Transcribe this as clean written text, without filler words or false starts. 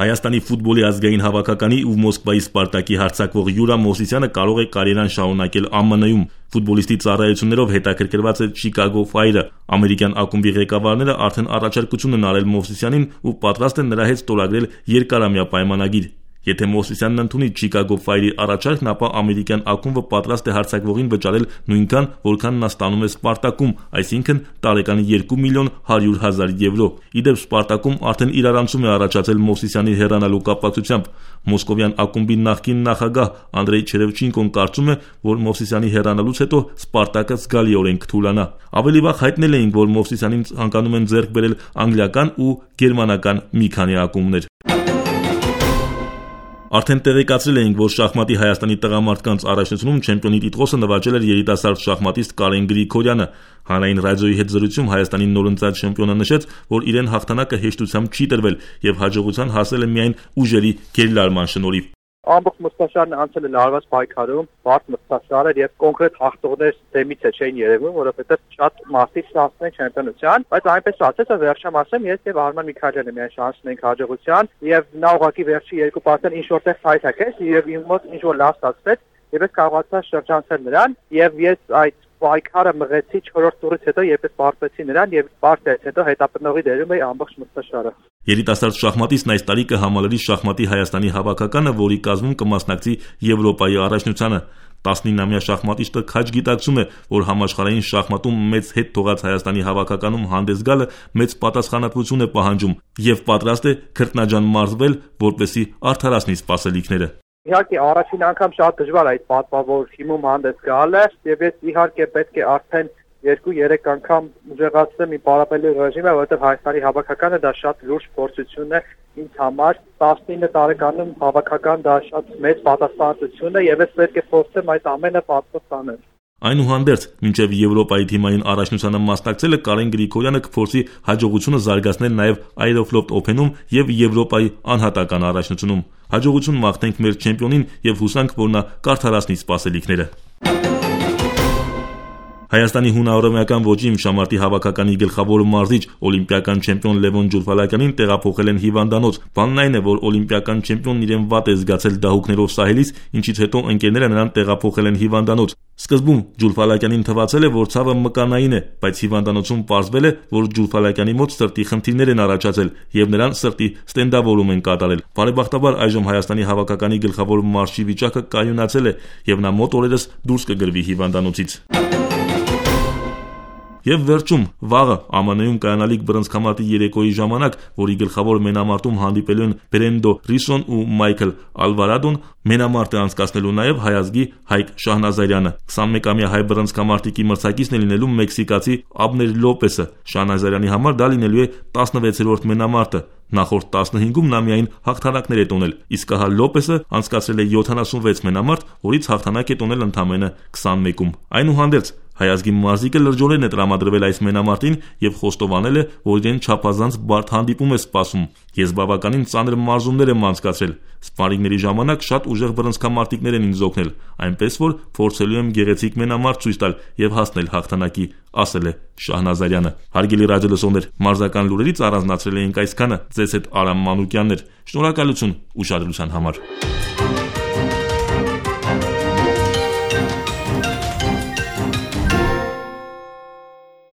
Հայաստանի ֆուտբոլի ազգային հավաքականի ու Մոսկվայի Սպարտակի հարձակվող Յուրա Մովսիսյանը կարող է կարիերան շարունակել ԱՄՆ-ում։ Ֆուտբոլիստի ծառայություններով հետաքրքրված է Chicago Fire-ը։ Ամերիկյան ակումբի ղեկավարները արդեն առաջարկություն են արել Մովսիսյանին ու պատրաստ են նրա հետ ստորագրել երկարամյա պայմանագիր։ Եթե Մովսիսյանն ընդունի Chicago Fire-ի առաջարկն, ապա ամերիկյան ակումբը պատրաստ է հարձակվողին վճարել նույնքան, որքան նա ստանում է Սպարտակում, այսինքն տարեկան 2.100.000 եվրո։ Իդեպ Սպարտակում արդեն իրարանցում է առաջացել Մովսիսյանի հեռանալու կապակցությամբ։ Մոսկովյան ակումբի նախկին նախագահ Անդրեյ Չերևչենկոն կարծում է, որ Մովսիսյանի հեռանալուց հետո Սպարտակը զգալիորեն կթուլանա։ Ավելի վաղ հայտնել էինք, որ Մովսիսյանին ցանկանում են ձեռք բերել անգլիական ու գերմանական մի քանի ակումբներ։ Արդեն տեղեկացրել էինք, որ շախմատի Հայաստանի տղամարդկանց առաջնությունում չեմպիոնի տիտղոսը նվաճել էր երիտասարդ շախմատիստ Կարեն Գրիգորյանը։ Հանրային ռադիոյի հետ զրույցում Հայաստանի նորընծած չեմպիոնը նշեց, որ իրեն հաղթանակը հեշտությամբ չի տրվել եւ հաջողության հասել է միայն ուժերի գերլարման շնորհիվ։ Ամբողջ մրցաշարն անցել է լարված պայքարում, բարդ մրցաշար էր եւ կոնկրետ հաղթողներ դեմից չէին երևում, որովհետեւ շատ մասից հասցն են չեմպիոնության, բայց այնպես ասած, վերջամ ասեմ, ես եւ Արման Միքայելյանը միայն շանսն ենք հաջողության եւ նա ուղղակի վերջի երկու պարտեն ինչ որտեղ հայթակեց եւ իմ մոտ ինչ որ լավ ստացվեց եւ ես կարողացա շրջանցել նրան եւ ես այդ պայքարը մղեցի 4-րդ տուրից հետո, երբ ես պարտվեցի նրան եւ պարտից հետո հետապնդողի դերում էի ամբողջ մրցաշարը։ Երիտասարդ շախմատիստն այս տարի կհամալրի շախմատի Հայաստանի հավաքականը, որի կազմում կմասնակցի Եվրոպայի առաջնությանը։ 19-ամյա շախմատիստը քաջ գիտակցում է, որ համաշխարհային շախմատում մեծ հետ թողած Հայաստանի հավաքականում հանդես գալը մեծ պատասխանատվություն է պահանջում եւ պատրաստ է քրտնաջան մարզվել, որպեսզի արդարացնի սպասելիքները։ Իհարկե առաջին անգամ շատ դժվար է այդ պատվավոր թիմում հանդես գալը եւ ես իհարկե պետք է արդեն 2-3 անգամ ուժեղացնեմ իմ պարապելի ռեժիմը, որովհետեւ Հայաստանի հավաքականը դա շատ լուրջ փորձություն է ինձ համար։ 19 տարեկանում հավաքական դա շատ մեծ պատասխանատվություն է եւ ես պետք է փորձեմ այդ ամենը պատվով տանել։ Այնուհանդերձ, մինչև Եվրոպայի թիմային առաջնությանը մասնակցելը Կարեն Գրիգորյանը կփորձի հաջողությունը զարգացնել նաև Aeroflot Open-ում եւ Եվրոպայի անհատական առաջնությունում։ Հաջողություն մաղթենք մեր չեմպիոնին եւ հուսանք, որ նա կարդարացնի սպասելիքները։ Հայաստանի հունահռոմեական ոճի իմշամարտի հավաքականի գլխավոր մարզիչ օլիմպիական չեմպիոն Լևոն Ջուլֆալակյանին տեղափոխել են հիվանդանոց։ Բանն այն է, որ օլիմպիական չեմպիոնն իրեն վատ է զգացել դահուկներով սահելիս, ինչից հետո ընկերները նրան տեղափոխել են հիվանդանոց։ Սկզբում Ջուլֆալակյանին թվացել է, որ ցավը մկանային է, բայց հիվանդանոցում պարզվել է, որ Ջուլֆալակյանի մոտ սրտի խնդիրներ են առաջացել եւ նրան սրտի ստենդավորում են կատարել։ Բարեբախտաբար այժմ Հայաստանի հավաքականի գլխավոր մարզչի վիճակը կայունացել է եւ նա մոտ օրերս դուրս կգրվի հիվանդանոցից։ Եվ վերջում վաղը ԱՄՆ-ում կայանալիք բռնցքամարտի երեկոյի ժամանակ, որի գլխավոր մենամարտում հանդիպելու են Բրենդո Ռիսոն ու Մայքլ Ալվարադոն, մենամարտը անցկացնելու նաև հայազգի Հայկ Շահնազարյանը։ 21-ամյա հայ բռնցքամարտիկի մրցակիցն է լինելու մեքսիկացի Աբներ Լոպեսը։ Շահնազարյանի համար դա լինելու է 16-րդ մենամարտը։ Նախորդ 15-ում նա միայն հաղթանակներ է տոնել, իսկ ահա Լոպեսը անցկացրել է 76 մենամարտ, որից հաղթանակ է տոնել ընդամենը 21-ում։ Այնուհանդերձ հայազգի մարզիկը լրջորեն է տրամադրվել այս մենամարտին եւ խոստովանել է, որ իրեն չափազանց բարդ հանդիպում է սպասում։ Ես բավականին ծանր մարզումներ եմ անցկացրել։ Սպարինգների ժամանակ շատ ուժեղ բռնցքամարտիկներ են ինձ օգնել, այնպես որ փորձելու եմ գեղեցիկ մենամարտ ցույց տալ եւ հասնել հաղթանակի, ասել է Շահնազարյանը։ Հարգելի ռադիոլսողներ, մարզական լուրերից առանձնացրել էինք այսքանը։ Ձեզ հետ Արամ Մանուկյանն էր։ Շնորհակալություն ուշադրության համար։